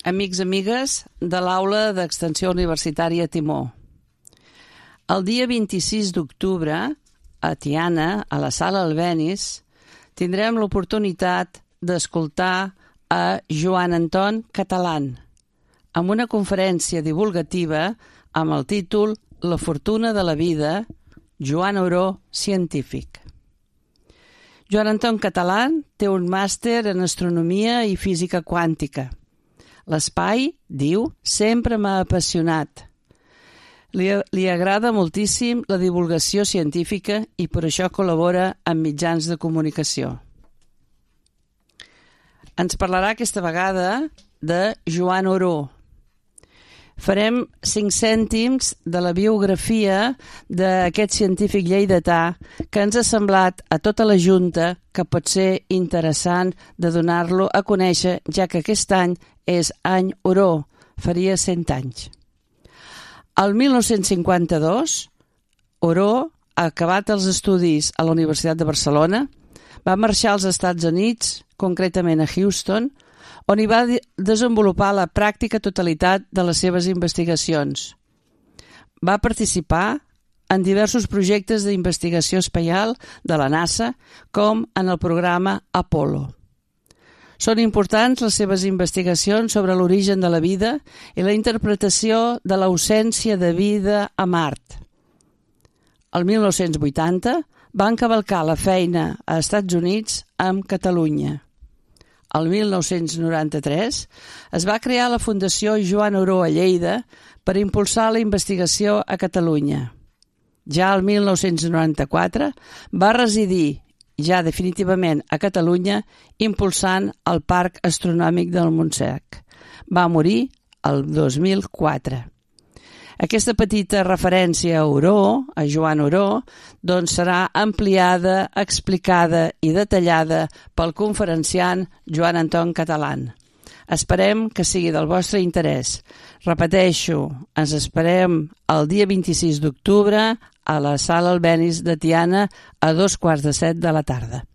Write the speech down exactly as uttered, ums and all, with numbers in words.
amics, amigues de l'Aula d'Extensió Universitària Timó. El dia vint-i-sis d'octubre, a Tiana, a la Sala Albéniz, tindrem l'oportunitat d'escoltar a Joan Anton Catalán amb una conferència divulgativa amb el títol La fortuna de la vida, Joan Oró, científic. Joan Anton Catalán té un màster en astronomia i física quàntica. L'espai, diu, sempre m'ha apassionat. Li, li agrada moltíssim la divulgació científica i per això col·labora amb mitjans de comunicació. Ens parlarà aquesta vegada de Joan Oró. Farem cinc cèntims de la biografia d'aquest científic lleidatà que ens ha semblat a tota la Junta que pot ser interessant de donar-lo a conèixer, ja que aquest any és any Oró, faria cent anys. El mil nou-cents cinquanta-dos, Oró ha acabat els estudis a la Universitat de Barcelona, va marxar als Estats Units, concretament a Houston, on hi va desenvolupar la pràctica totalitat de les seves investigacions. Va participar en diversos projectes d'investigació espacial de la NASA, com en el programa Apollo. Són importants les seves investigacions sobre l'origen de la vida i la interpretació de l'ausència de vida a Mart. El mil nou-cents vuitanta va encavalcar la feina a Estats Units amb Catalunya. El mil nou-cents noranta-tres es va crear la Fundació Joan Oró a Lleida per impulsar la investigació a Catalunya. Ja el mil nou-cents noranta-quatre va residir ja definitivament a Catalunya impulsant el Parc Astronòmic del Montsec. Va morir el dos mil quatre. Aquesta petita referència a Oró, a Joan Oró, doncs serà ampliada, explicada i detallada pel conferenciant Joan Anton Catalán. Esperem que sigui del vostre interès. Repeteixo, ens esperem el dia vint-i-sis d'octubre a la Sala Albéniz de Tiana a dos quarts de set de la tarda.